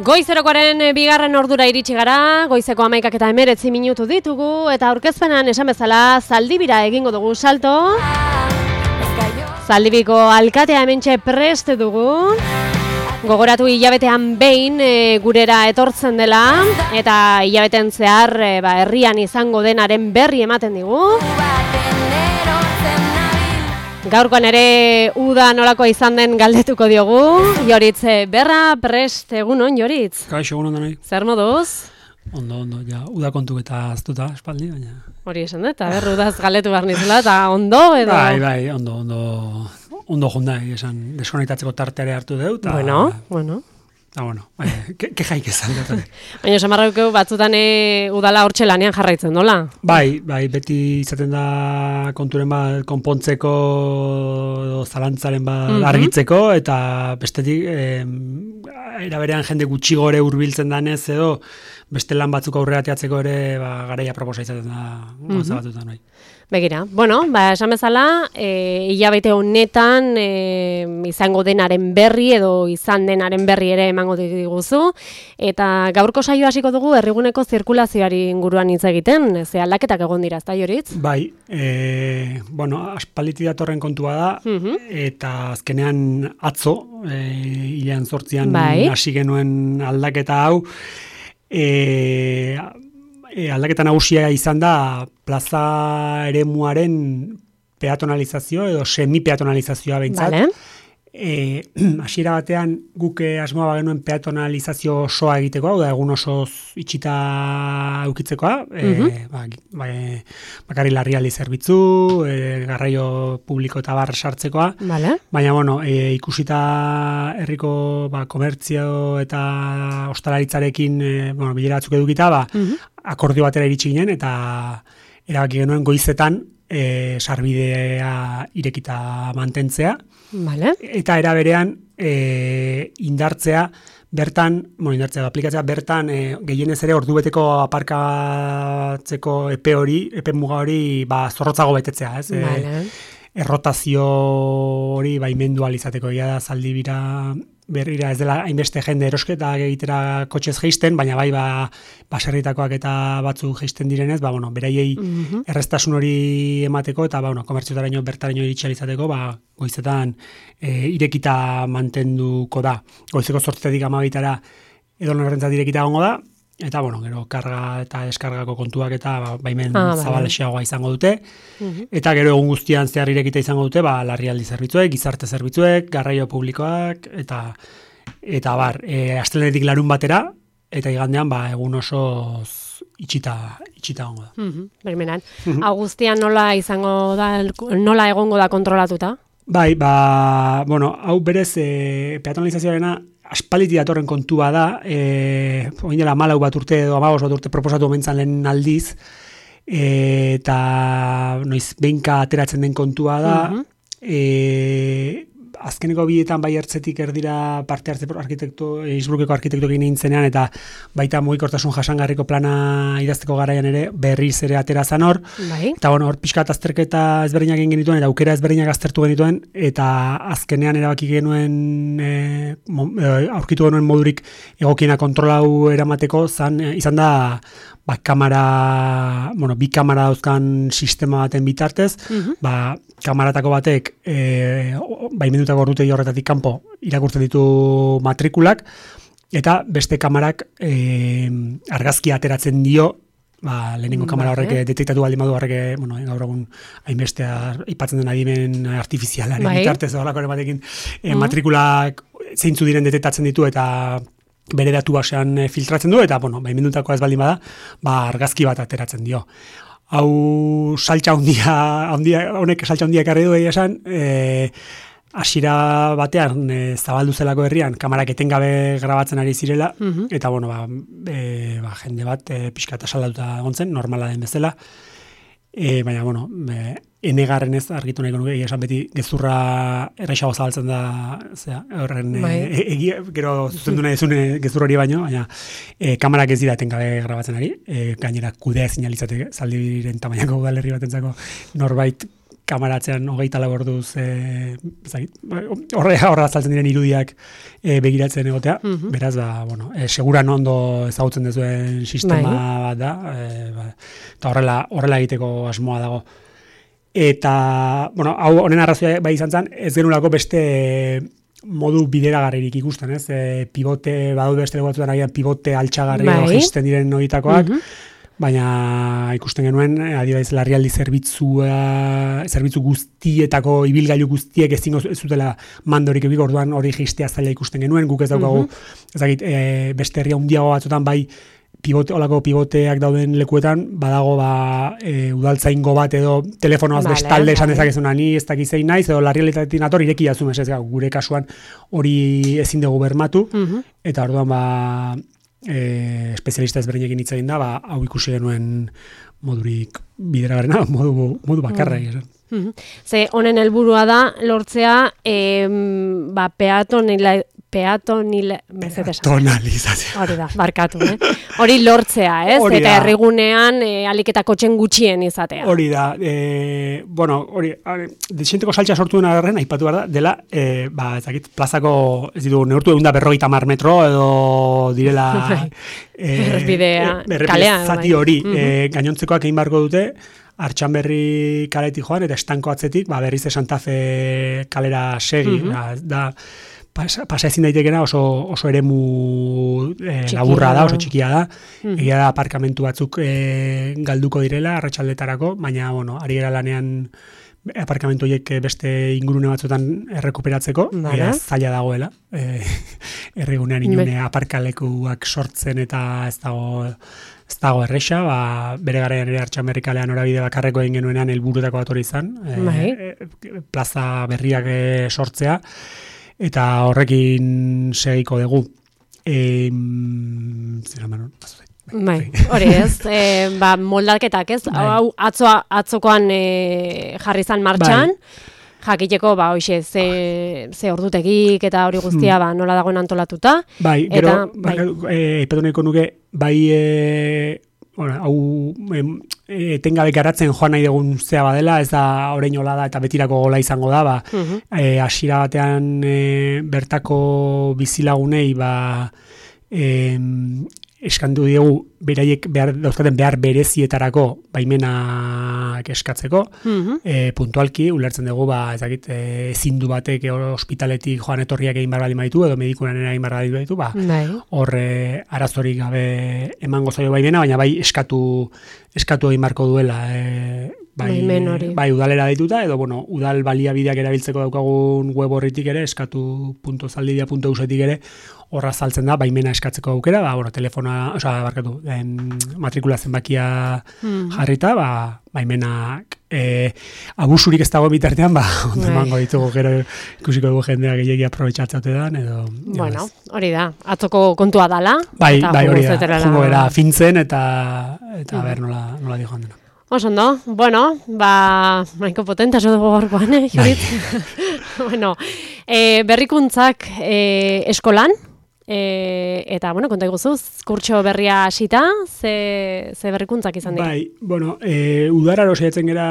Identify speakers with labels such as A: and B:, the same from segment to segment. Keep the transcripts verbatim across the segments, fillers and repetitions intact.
A: Goizerokoaren bigarren ordura iritsi gara, goizeko hamaikak eta hemeretzi minutu ditugu, eta aurkezpenan esan bezala Zaldibira egingo dugu salto. Zaldibiko alkatea hementxe prest dugu. Gogoratu hilabetean behin e, gurera etortzen dela, eta hilabeten zehar e, ba, herrian izango denaren berri ematen digu. Gaurkoan ere uda nolakoa izan den galdetuko diogu. Joritz Berra, prest, egunon, Joritz?
B: Kaixo, egunon denoi.
A: Zer moduz?
B: Ondo, ondo, ja, uda kontu eta aztuta, espaldi, baina...
A: Hori esan dut, eta berru udaz galdetu behar nizela, eta ondo, edo...
B: Bai, bai, ondo, ondo, ondo junda, esan, deskonektatzeko tarteare hartu deu, eta...
A: Bueno, bueno...
B: Eta, bueno, bai, ke, ke jaik ezan dut.
A: Baina samarrauko batzutan e, udala hortxe lanean jarraitzen, nola?
B: Bai, bai, beti izaten da konturen bat konpontzeko, zalantzaren bat mm-hmm. argitzeko, eta bestetik, eh, eraberean jende gutxi gore hurbiltzen danez, edo beste lan batzuk aurrera teatzeko ere ba, garaia proposa izaten da mm-hmm. gauza batzutan, bai.
A: Begira, bueno, ba, esan bezala, e, hilabete honetan e, izango denaren berri edo izan denaren berri ere emango diguzu, eta gaurko saio hasiko dugu herriguneko zirkulazioari inguruan hitz egiten, ze aldaketak egon dira, ezta Joritz?
B: Bai, e, bueno, aspaliti datorren kontua da,
A: uh-huh.
B: eta azkenean atzo, e, hilean zortzian
A: bai.
B: hasi genuen aldaketa hau, e, E, aldaketa nagusia izan da plaza eremuaren peatonalizazio edo semi-peatonalizazioa behintzat.
A: Vale.
B: E, hasiera batean guk asmoa bagenuen peatonalizazio osoa egiteko, hau da egun osoz itxita eukitzekoa,
A: uh-huh.
B: e, ba, ba, bakarri larrialdi zerbitzu, e, garraio publiko eta bar sartzekoa,
A: vale.
B: Baina bueno, e, ikusita herriko ba, komertzio eta ostalaritzarekin e, bueno, bilera batzuk edukita, ba, uh-huh. akordio batera iritsi ginen, eta erabaki genuen goizetan e, sarbidea irekita mantentzea.
A: Vale.
B: Eta era berean e, indartzea bertan, bueno, indartzea aplikatzea bertan e, gehienez ere ordubeteko aparkatzeko epe hori, epe muga hori ba zorrotzago betetzea, ez?
A: Vale.
B: E, errotazio hori baimendu ahal izateko, ja da Zaldibira berrira ez dela hainbeste jende erosketa egitera kotxez jeisten, baina bai ba baserritakoak eta batzuk jeisten direnez, ba bueno, beraiei uh-huh. erreztasun hori emateko eta ba bueno, komertziotaraino bertaraino iritsi ahal izateko, ba goizetan e, irekita mantenduko da. Goizeko zortzietatik hamabitara edonorrentzat irekita egongo da. Eta, bueno, gero, karga eta deskargako kontuak eta ba, baimen ah, zabalexeagoa izango dute. Uh-huh. Eta gero egun guztian zehar irekita izango dute, ba, larrialdi zerbitzuek, gizarte zerbitzuek, garraio publikoak, eta eta bar, e, astelenetik larun batera, eta igandean, ba, egun osoz itxita, itxita egongo da.
A: Uh-huh. Bermenan. Uh-huh. Agustian nola izango da, nola egongo da kontrolatuta? Bai,
B: ba, bueno, hau berez, e, peatonalizazioarena, aspaliti datorren kontua da, e, oin dela malau bat urte edo amabos bat urte proposatu omentzan lehen aldiz, e, eta noiz behinka ateratzen den kontua da, uh-huh. e, azkeneko bietan bai ertzetik erdira parte hartze arkitekto, Innsbruckeko arkitektokin nintzenean, eta baita mugikortasun jasangarriko plana idazteko garaian ere berriz ere atera zan hor,
A: bai.
B: Eta bueno, hor pixka azterketa ezberdinak egin genituen, eta aukera ezberdinak aztertu genituen, eta azkenean erabaki genuen e, mo, e, aurkitu genuen modurik egokiena kontrolau eramateko, zan, e, izan da ba, kamera, bueno, bi kamera dauzkan sistema baten bitartez, uh-huh. ba, kamaratako batek e, baimendutako ordutegi horretatik kanpo irakurtzen ditu matrikulak, eta beste kamarak e, argazki ateratzen dio, ba, lehenengo mm, kamera horrek eh? detektatu baldin badu horrek, bueno, gaur egun hainbeste aipatzen den adimen artifizialaren bai. Bitartez, horrelako batekin e, mm. matrikulak zeintzu diren detektatzen ditu, eta bere datu basean filtratzen du, eta, bueno, baimendutakoa ez baldin bada, ba, argazki bat ateratzen dio. Hau saltza handia, handia, honek saltza handia ekarri du egia esan, e, hasiera batean e, zabaldu zelako herrian, kamarak etengabe grabatzen ari zirela, uh-huh. eta, bueno, ba, e, ba, jende bat e, pixka eta saldatuta egon zen, normala den bezala, e, baina, bueno, e, enegarren ez argitu nahiko nuke, esan beti gezurra erreixago zabaltzen da, zera, horren, e, egia, gero zuzendu nahi ezune gezur hori baino, baina e, kamarak ez dira etengabe grabatzen ari, e, gainera kudea ezin alizateke, Zaldibiren tamainako udalerri batentzako norbait kamaratzean hogeita lau orduz e, horre horra azaltzen diren irudiak e, begiratzen egotea, mm-hmm. beraz, ba, bueno, e, seguran ondo ezagutzen dezuen sistema bai. bat da, e, ba, eta horrela, horrela egiteko asmoa dago. Eta, bueno, hau honen arrazoia bai izan zen, ez genulako beste modu bideragarririk ikusten, ez? E, pivote, badaude beste leku batzuetan agian pivote altxagarri bai. Jisten diren horietakoak, mm-hmm. baina ikusten genuen, adibidez, larrialdi zerbitzua, zerbitzu guztietako, ibilgailu guztiek ezingo ez zutela mandorik ebik, orduan hori jistea zaila ikusten genuen, guk ez daukagu, mm-hmm. ezagit, e, beste herria handiago batzutan bai, pivote, olako pivoteak dauden lekuetan, badago ba, e, udaltzaingo bat edo telefonoaz vale, bestalde esan dezakezuna ni ez dakizein naiz, edo larrialitatetik nator ireki jazumez, ez gure kasuan hori ezin dugu bermatu, mm-hmm. eta orduan ba, e, espezialista ezberdinekin hitz egin da, ba, hau ikusi genuen modurik bideragarrena, modu, modu bakarra esan.
A: Mm-hmm. Ze honen helburua da lortzea e, ba, peatonila Peatonile...
B: Peatonalizazio.
A: Hori da, barkatu, eh? Hori lortzea, ez? Hori eta herrigunean e, aliketa kotxen gutxien izatea.
B: Hori da, e, bueno, hori, desienteko saltza sortu dena garren, aipatu behar da, dela, e, ba, ezakit, plazako, ez ditu, neurtu egun da berrogeita mar metro, edo direla...
A: e, Errepidea,
B: kalean. Zati hori, mm-hmm. e, gainontzekoak egin barko dute, Artxanberri kaletik joan, eta estanko atzetik, ba, berriz de Santa Fe kalera segi, mm-hmm. da... da pasa ezin daitekena oso, oso eremu e, laburra da, oso txikia da. Mm. Egia da aparkamentu batzuk e, galduko direla, arratsaldetarako, baina, bueno, ari gara lanean aparkamentu horiek beste ingurune batzuetan errekuperatzeko, vale. Zaila dagoela. E, errigunean inune Be. aparkalekuak sortzen eta ez dago... Ez dago erresa, ba, bere garaian ere Artxanberri kalean norabide bakarreko egin genuenean helburutako bat hori izan, e, e, plaza berriak e, sortzea, eta horrekin segiko dugu. E, zera manon,
A: bai, hori ez, e, ba, moldaketak ez, bai. Hau atzoa, atzokoan e, jarri zan martxan, bai. Jakiteko, ba, hoxe, ze, ze ordutegik eta hori guztia, hmm. ba, nola dagoen antolatuta.
B: Bai, gero, bai. Ipatu nahiko nuke, bai, e, bueno, hau, etengabe garatzen joan nahi dugun zea badela, ez da orain hola da eta betirako gola izango da, ba, uh-huh. e, hasiera batean e, bertako bizilagunei, ba, e, eskandu diegu, beraiek behar, dauzkaten behar berezietarako baimenak eskatzeko, mm-hmm. e, puntualki, ulertzen dugu, ba, ezakit, e, zindu batek ospitaletik joan etorriak egin barra baditu, edo medikunan egin barra baditu, ba, hor e, arazorik gabe emango zaio baimena, baina bai eskatu, eskatu egin barko duela, e, bai, bai udalera dituta, edo, bueno, udal baliabideak erabiltzeko daukagun web horritik ere, eskatu puntu zaldidia puntu eusetik ere, horra saltzen da, baimena eskatzeko aukera, ba, bueno, telefona, oza, barkatu, en, matrikula zenbakia mm. jarrita, ba, baimenak e, abusurik ez dago bitartean, ba, ondo emango ditugu, gero ikusiko dugu jendea gehiagia aprobetxatzaute dan, edo...
A: Bueno, hori da, atzoko kontua dala.
B: Bai, bai, hori da, jungo era fintzen, eta, eta mm. ber, nola, nola di joan dena.
A: Oso, no? Bueno, ba, maiko potenta zo dugu gorkoan, eh, Jorit? Bueno, e, berrikuntzak e, eskolan, e, eta, bueno, konta iguzuz, kurtso berria hasita, ze, ze berrikuntzak izan dira?
B: Bai, bueno, e, udararo saiatzen gera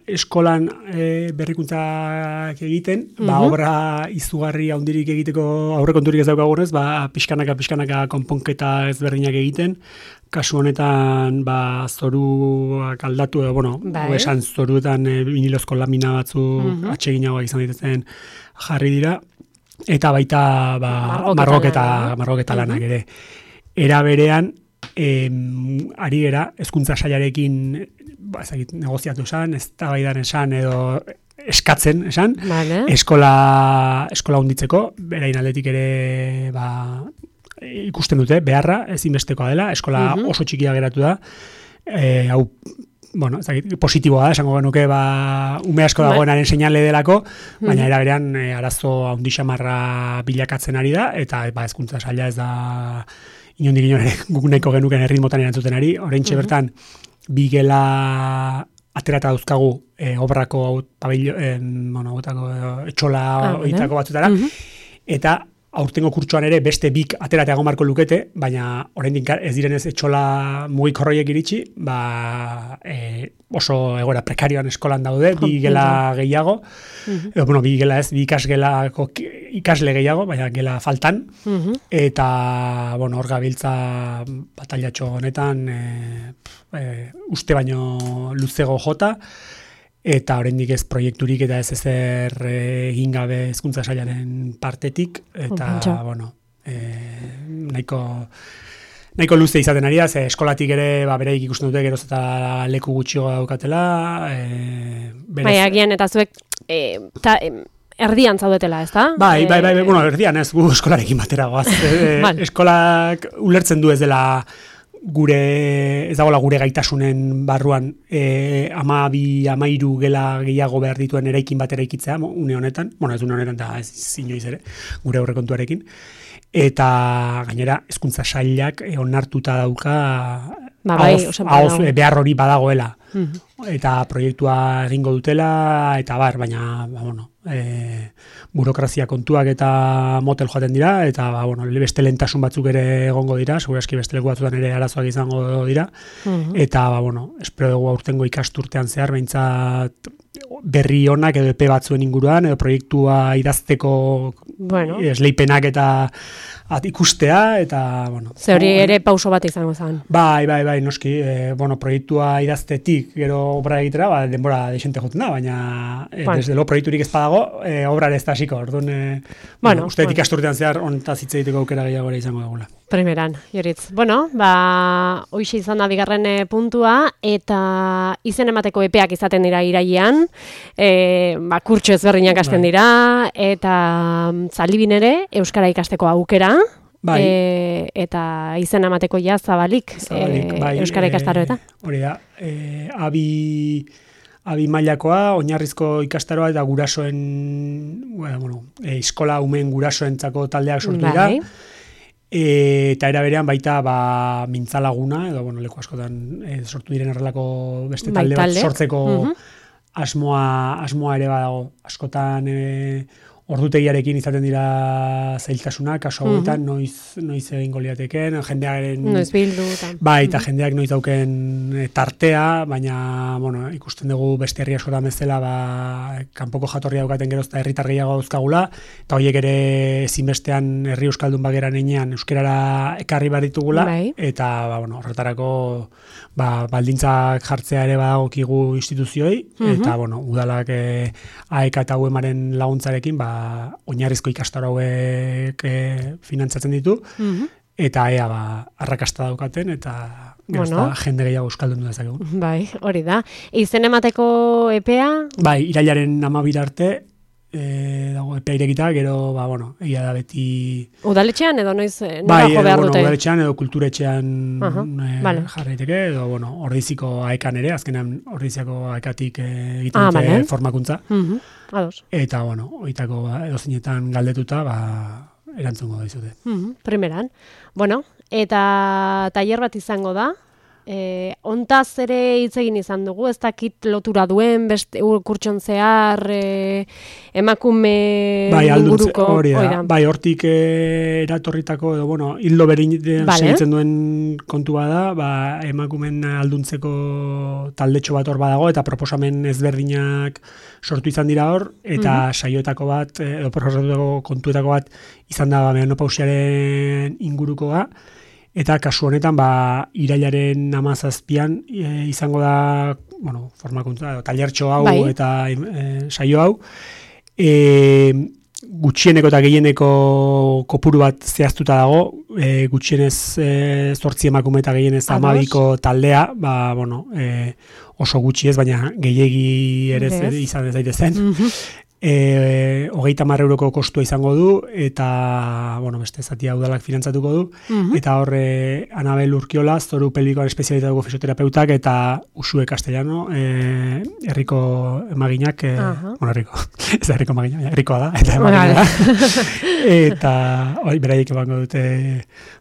B: eskolan e, berrikuntzak egiten, mm-hmm. ba, obra izugarri handirik egiteko aurrekonturik ez daukagunez, ba, pixkanaka, pixkanaka konponketa ezberdinak egiten, kasu honetan, ba, zoruak aldatu, edo, bueno, bai. Esan zoruetan e, vinilozko lamina batzu mm-hmm. atseginagoak izan ditezen jarri dira, eta baita ba, margoketa, margoketa lanak ere. Era berean, em, ari gera, hezkuntza sailarekin ba, ezagit, negoziatu esan, eztabaidan esan, edo eskatzen esan, vale. eskola, eskola hunditzeko, berain aldetik ere, ba, ikusten dute, beharra, ezinbestekoa dela, eskola uh-huh. oso txikia geratu da, e, hau, bueno, ezagit, positiboa da, esango genuke, ba, ume asko dagoenaren seinale delako, baina uh-huh. era berean, e, arazo handi xamarra bilakatzen ari da, eta ba, hezkuntza saila ez da, inondik inon ere, guk nahiko genuken erritmotan erantzuten ari, oraintxe uh-huh. bertan, bi gela aterata dauzkagu e, obrako, pabillo, en, bueno, otako, etxola, ah, oitako batzutara, uh-huh. eta aurtengo kurtsoan ere beste bik ateratea marko lukete, baina oraindik ez direnez etxola mugikorroiek iritsi, ba, e, oso egoera prekarioan eskolan daude, bi gela gehiago, uh-huh. edo, bueno, bi gela ez, bi ikasgelako ikasle gehiago, baina gela faltan, uh-huh. eta, bueno, hor gabiltza batailatxo honetan, e, e, uste baino luzego jota, eta oraindik ez proiekturik eta ez ezer egin gabe hezkuntza sailaren partetik, eta, oh, bueno, e, nahiko, nahiko luze izaten ari da, ze eskolatik ere, ba, bereik ikusten dute geroz eta leku gutxiago daukatela. E, berez...
A: Bai, agian, eta zuek, e, ta, e, erdian zaudetela, ez da?
B: Bai, bai, bai, bueno, erdian ez, gu eskolarekin batera goaz. E, eskolak ulertzen du ez dela, gure, ez dagoela gure gaitasunen barruan e, ama bi, ama hiru gela gehiago behar dituen eraikin bat eraikitzea, une honetan, bueno, ez une honetan, da ez inoiz ere, gure aurrekontuarekin, eta gainera, hezkuntza sailak e, onartuta dauka
A: ba, bai,
B: ahoz, ahoz, behar hori badagoela, mm-hmm. eta proiektua egingo dutela, eta bar, baina, ba, bueno, e, burokrazia kontuak eta motel joaten dira, eta ba, bueno, beste lentasun batzuk ere egongo dira, segurazki beste leku batzutan ere arazoak izango dira, uh-huh. eta ba, bueno, espero dugu aurtengo ikasturtean zehar, behintzat berri honak edo epe batzuen inguruan, edo proiektua idazteko bueno. esleipenak eta at, ikustea, eta, bueno.
A: Ze hori ere pauso bat izango zen.
B: Bai, bai, bai, noski, e, bueno, proiektua idaztetik, gero obra egitera, ba, denbora desente joten da, baina e, bueno. desde lo proiekturik ez badago, e, obra ez da hasiko, orduan, e, bueno, bueno, uste bueno. ikasturtean zehar hontaz hitz egiteko aukera gehiago ere izango dugula.
A: Primeran, Joritz. Bueno, ba, hoixe izan da bigarren puntua, eta izen emateko epeak izaten dira irailean, e, ba, kurtso ezberdinak hasten dira, eta Zalibin ere, euskara ikasteko aukera, bai. e, eta izen emateko ja zabalik, zabalik e, bai, euskara ikastaroetan.
B: E, hori da, e, abi... Abi mailakoa, oinarrizko ikastaroa eta gurasoen, bueno, e, eskola umen gurasoentzako taldeak sortu dira. Bai. E, eta era berean baita ba, mintzalaguna, edo bueno, leku askotan e, sortu diren errelako beste talde bat sortzeko uh-huh. asmoa, asmoa ere badago. Askotan e, ordutegiarekin izaten dira zailtasunak, kasu hauetan, uh-huh. noiz, noiz egingo liateken, jendearen...
A: Noiz bildu. Ta.
B: Bai, eta uh-huh. jendeak noiz dauken tartea, baina, bueno, ikusten dugu beste herri askotan bezala, ba, kanpoko jatorria daukaten gerozta herritar gehiago dauzkagula, eta horiek ere ezinbestean herri euskaldun bageran enean euskerara ekarri behar ditugula, bai. Eta, ba, bueno, horretarako, ba, baldintzak jartzea ere badagokigu instituzioi, uh-huh. eta, bueno, udalak e, A E K eta U E Maren laguntzarekin, ba, oinarrizko ikastaro hauek e, finantzatzen ditu, mm-hmm. eta ea ba, arrakasta daukaten, eta bueno. jende gehiago euskaldun dezakegu.
A: Bai, hori da. Izen emateko epea?
B: Bai, irailaren hamabira arte, e, dago epea irekita, gero, ba, bueno, egia da beti...
A: Udaletxean edo noiz nora
B: bai,
A: jo behar
B: bueno,
A: dute? Bai,
B: udaletxean edo kulturetxean uh-huh. e,
A: vale.
B: jarraiteke, edo, bueno, ordiziko aekan ere, azkenean ordiziako aekatik e, egiten
A: ah,
B: dute
A: vale.
B: formakuntza.
A: Uh-huh. Ados.
B: Eta, bueno, oitako ba, edo zinetan galdetuta, ba, erantzungo daizute.
A: Uh-huh. Primeran. Bueno, eta tailer bat izango da, E, ontaz ere hitz egin izan dugu, ez dakit lotura duen, beste kurtson zehar, e, emakume
B: bai,
A: inguruko.
B: Hori da, bai, hortik e, eratorritako, edo, bueno, hildo berin vale. segitzen duen kontua da, ba, emakumen alduntzeko taldetxo bat hor badago, eta proposamen ezberdinak sortu izan dira hor, eta mm-hmm. saioetako bat, edo proposatutako kontuetako bat, izan da, ba, menopausiaren ingurukoa, eta kasu honetan, ba, irailaren hamazazpian e, izango da, bueno, formakuntza, tailertxo hau bai. eta e, saio hau, e, gutxieneko eta gehieneko kopuru bat zehaztuta dago, e, gutxienez e, zortzi emakume eta gehienez hamabiko taldea, ba, bueno, e, oso gutxi ez, baina gehiegi ere yes. izan ez daitezen. Mm-hmm. E, hogeita hamar euroko kostua izango du, eta, bueno, beste zatia udalak finantzatuko du, uh-huh. eta horre Anabel Urkiola, zoru pelbikoan espezialitatuko fisioterapeutak, eta Usue Castellano, e, herriko emaginak, e, uh-huh. bueno, herriko, ez da herriko emaginak, herrikoa da, eta emagina da, eta hori beraiek ebango dute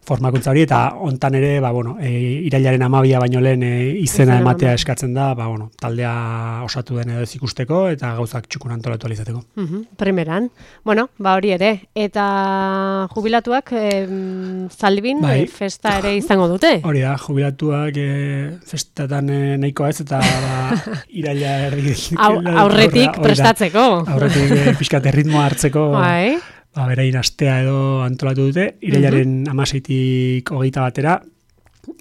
B: formakuntza hori, eta hontan ere, ba, bueno, e, irailaren amabia baino lehen e, izena ematea eskatzen da, ba, bueno, taldea osatu den edo ez ikusteko, eta gauzak txukun antolatu alizatzen. izateko.
A: Uh-huh. Primeran. Bueno, ba hori ere. Eta jubilatuak em, Zaldibin
B: bai.
A: e, festa ere izango dute.
B: Hori da, jubilatuak e, festatan e, nahikoa ez, eta ba, iraila erdi...
A: Au, aurretik prestatzeko.
B: Aurretik e, pixkat erritmoa hartzeko...
A: Bai.
B: Ba, berain astea edo antolatu dute, irailaren uh-huh. amaseitik hogeita batera,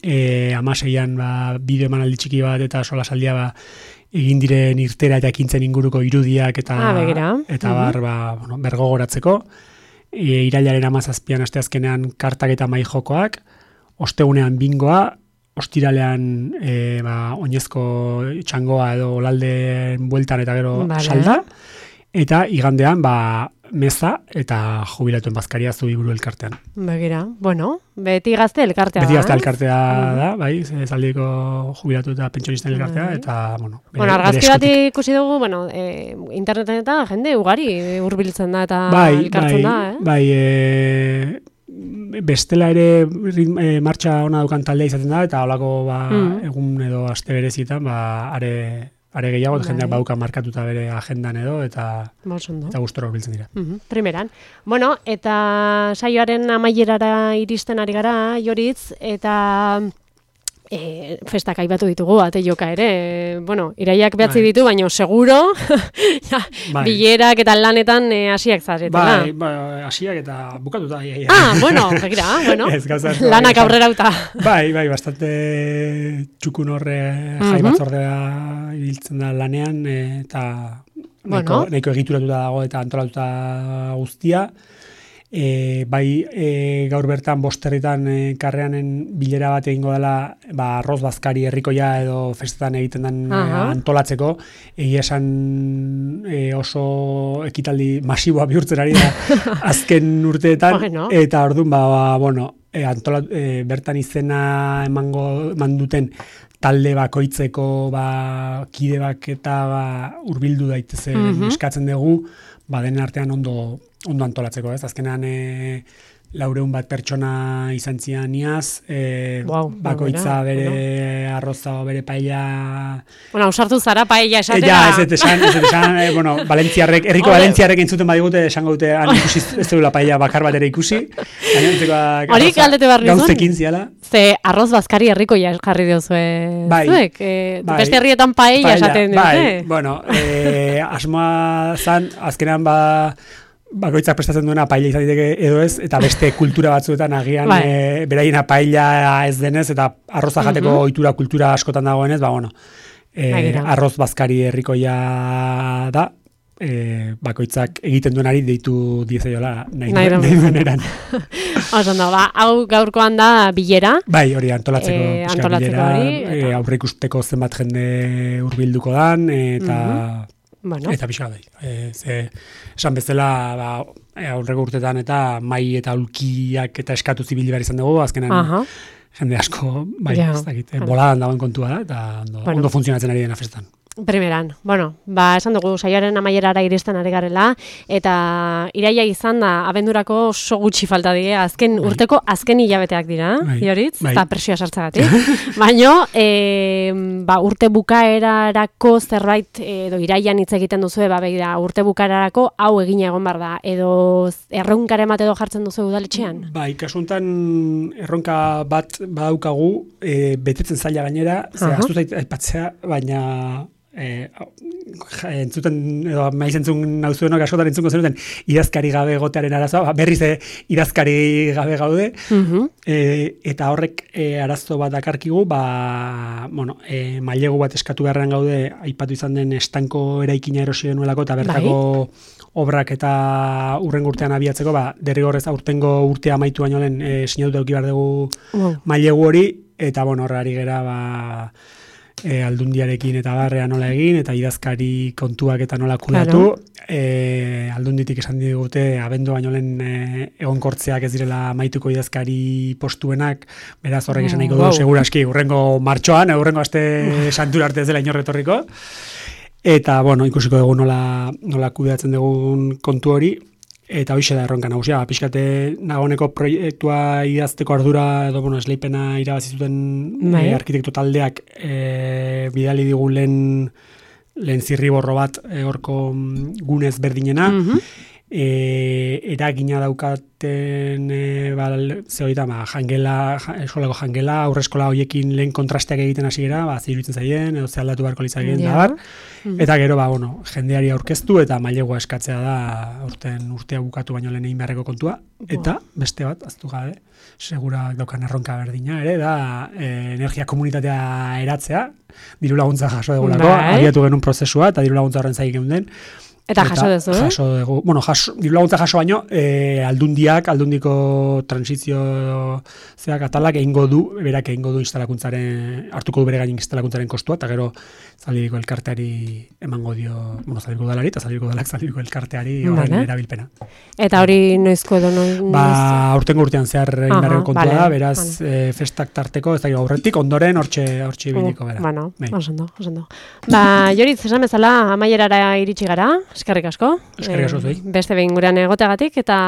B: e, amaseian ba, bideo emanaldi txiki bat eta solasaldia ba, egin diren irtera eta ekintzen inguruko irudiak eta,
A: ah,
B: eta bar, ba, bueno, bergogoratzeko. E, irailaren amazazpian asteazkenean kartak eta mai jokoak, ostegunean bingoa, ostiralean e, ba, oinezko txangoa edo olalden bueltan eta gero vale. Salda, eta igandean ba, meza eta jubilatuen bazkaria Zubiburu elkartean.
A: Begira, bueno, beti gazte elkartea da.
B: Beti gazte elkartea uh-huh. da, bai, Zaldiko jubilatu eta pentsionisten elkartea, uh-huh. eta, bueno... Bere,
A: bueno, argazki bat ikusi dugu, bueno, e, interneten eta jende ugari hurbiltzen da eta
B: bai,
A: elkartzen
B: bai,
A: da, eh?
B: Bai, e, bestela ere e, martxa ona dukan taldea izaten da, eta holako ba, uh-huh. egun edo aste berezietan, ba, are... Are gehiago, bai. Jendeak bauka markatuta bere agendan edo, eta, eta gustora biltzen dira.
A: Uh-huh. Primeran. Bueno, eta saioaren amaierara iristen ari gara, Joritz, eta e, festak aipatu ditugu, ate joka ere. E, bueno, iraiak behatzi bai. Ditu, baina seguro, ja, bai. Bilerak eta lanetan hasiak e, zaretela.
B: Bai, bai, hasiak eta bukatuta. Ia, ia.
A: Ah, bueno, begira, bueno.
B: Ez, gauza,
A: lanak aurrera uta.
B: Bai, bai, bastante txukun horre uh-huh. jai batzordea ibiltzen da lanean, eta
A: bueno.
B: nahiko, nahiko egituratuta dago eta antolatuta guztia. E, bai e, gaur bertan bosterritan e, karreanen bilera bat egingo dela ba, arroz bazkari herrikoia edo festetan egiten den e, antolatzeko, egia esan e, oso ekitaldi masiboa bihurtzen ari da azken urteetan, bueno. Eta orduan ba, ba, bueno, e, antolat, e, bertan izena emango eman duten talde bakoitzeko ba, kide bak eta ba, urbildu daitezen mm-hmm. eskatzen dugu, ba, denen artean ondo ondo antolatzeko, ez? Azkenean e, laureun bat pertsona izan zian iaz, e, wow, bakoitza bere bueno. Arroza o bere paella...
A: Bueno, ausartu zara paella esatera.
B: E, ja, ez ez esan, ez esan, e, bueno, Valentziarrek, herriko Valentziarrek entzuten badigute, esango dute, han ikusi ez duela paella bakar bat ere ikusi.
A: Hori galdete barri zuen?
B: Gauzekin ziala.
A: Ze arroz bazkari herrikoia jarri diozue
B: bai,
A: zuek. E, bai, beste herrietan paella esaten dute.
B: Bai, bueno, e, asmoa zan, azkenean ba... bakoitzak prestatzen duena paella izan diteke edo ez, eta beste kultura batzuetan agian bai. e, beraiena paella ez denez, eta arroza jateko uh-huh. ohitura kultura askotan dagoenez, ba bueno, e, arroz bazkari herrikoia da, e, bakoitzak egiten duenari deitu diezaiola nahi, nahi dueneran.
A: Osan da, ba, hau gaurkoan da bilera.
B: Bai, hori antolatzeko,
A: e, antolatzeko bilera, hori.
B: Eta... E, aurreikusteko zenbat jende hurbilduko dan, eta... Uh-huh. Bueno. Eta pixka bai. E, ze, esan bezala ba, aurreko urtetan eta mai eta ulkiak eta eskatu zibili behar izan dugu, azkenan uh-huh. jende asko, bai, ja. Ez dakit, boladan dagoen kontua da, eta ondo, bueno. Ondo funtzionatzen ari dena festan.
A: Primeran, bueno, ba, esan dugu saioaren amaierara iristen ari garela, eta iraia izan da, abendurako oso gutxi falta die, azken bai. Urteko azken hilabeteak dira, bai. Joritz, bai. Eta presioa sartzagatik. Baina, e, ba, urte bukaerarako zerbait, edo iraian hitz egiten duzu, ba, begira, urte bukaerarako hau egina egon bar da, edo erronkaren bat edo jartzen duzu udaletxean? Bai,
B: kasuntan erronka bat badaukagu, e, betetzen zaila gainera, ze uh-huh. Aztu zait aipatzea, baina... E, entzuten, edo maiz entzun nauzuenok askotan entzunko zenuten idazkari gabe gotearen arazoa, berriz e, idazkari gabe gaude, uh-huh. e, eta horrek e, arazo bat dakarkigu, ba, bueno, e, mailegu bat eskatu beharrean gaude, aipatu izan den estanko eraikina erosi denuelako, eta bertako bai. Obrak eta urrengo urtean abiatzeko, ba, derrigorrez aurtengo urtea amaitu baino lehen e, sinatu eduki behar dugu wow. Mailegu hori, eta bueno, horrari gera, ba, E, aldundiarekin eta barrea nola egin, eta idazkari kontuak eta nola kudatu. Claro. E, aldunditik esan digute, abendu baino lehen e, egonkortzeak ez direla maituko idazkari postuenak, beraz horrek esan nahiko du, wow. Seguraski, urrengo martxoan, urrengo aste santura arte ez dela inorretorriko. Eta, bueno, ikusiko dugu nola, nola kudeatzen dugun kontu hori. Eta hoxe da erronka nagusia, pixkate nagoneko proiektua idazteko ardura edo bueno, esleipena irabazi zuten e, arkitekto taldeak e, bidali digu lehen lehen zirriborro bat e, horko gunez berdinena, mm-hmm. e, eragina daukaten e, bal, zehoita, ba, jangela, eskolako jangela, aurreskola hoiekin lehen kontrasteak egiten hasi gara, ba, ziruditzen zaien, edo ze aldatu beharko litzakeen yeah. da bar, mm-hmm. eta gero, ba, bueno, jendeari aurkeztu eta mailegua eskatzea da urten urtea bukatu baino lehen egin beharreko kontua, eta beste bat, aztu gabe, segura daukan erronka berdina ere, da e, energia komunitatea eratzea, diru laguntza jaso dugulako, abiatu genuen prozesua, eta diru laguntza horren zaik den.
A: Eta jaso dezu, eh?
B: Jaso dugu, bueno, jaso, diru laguntza jaso baino, e, aldundiak, aldundiko transizio zeak atalak egingo du, berak egingo du instalakuntzaren, hartuko du bere gain instalakuntzaren kostua, eta gero zaldiriko elkarteari emango dio, bueno, zaldiriko dalari, eta zaldiriko dalak zaldiriko elkarteari horren vale. erabilpena.
A: Eta hori noizko edo noiz?
B: Ba, aurtengo urtean zehar indarreko kontua vale, da, beraz, vale. e, festak tarteko, ez da aurretik, ondoren, hortxe, hortxe biliko bera.
A: Bueno, osando, osando. Ba, Joritz, esan bezala, amaierara iritsi gara, eskerrik asko.
B: Eskerrik asko zuei.
A: E, beste behin gurean egoteagatik, eta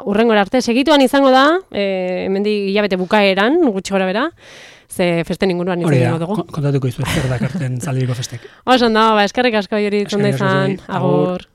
A: urrengora arte segituan izango da, e, hemendik hilabete bukaeran, gutxi gora bera, ze festen inguruan izan egingo dugu.
B: Kontatuko izu, zer dakarten zaldiriko festek.
A: Oso, no, ba, eskerrik asko Joritz, ondo izan, agur.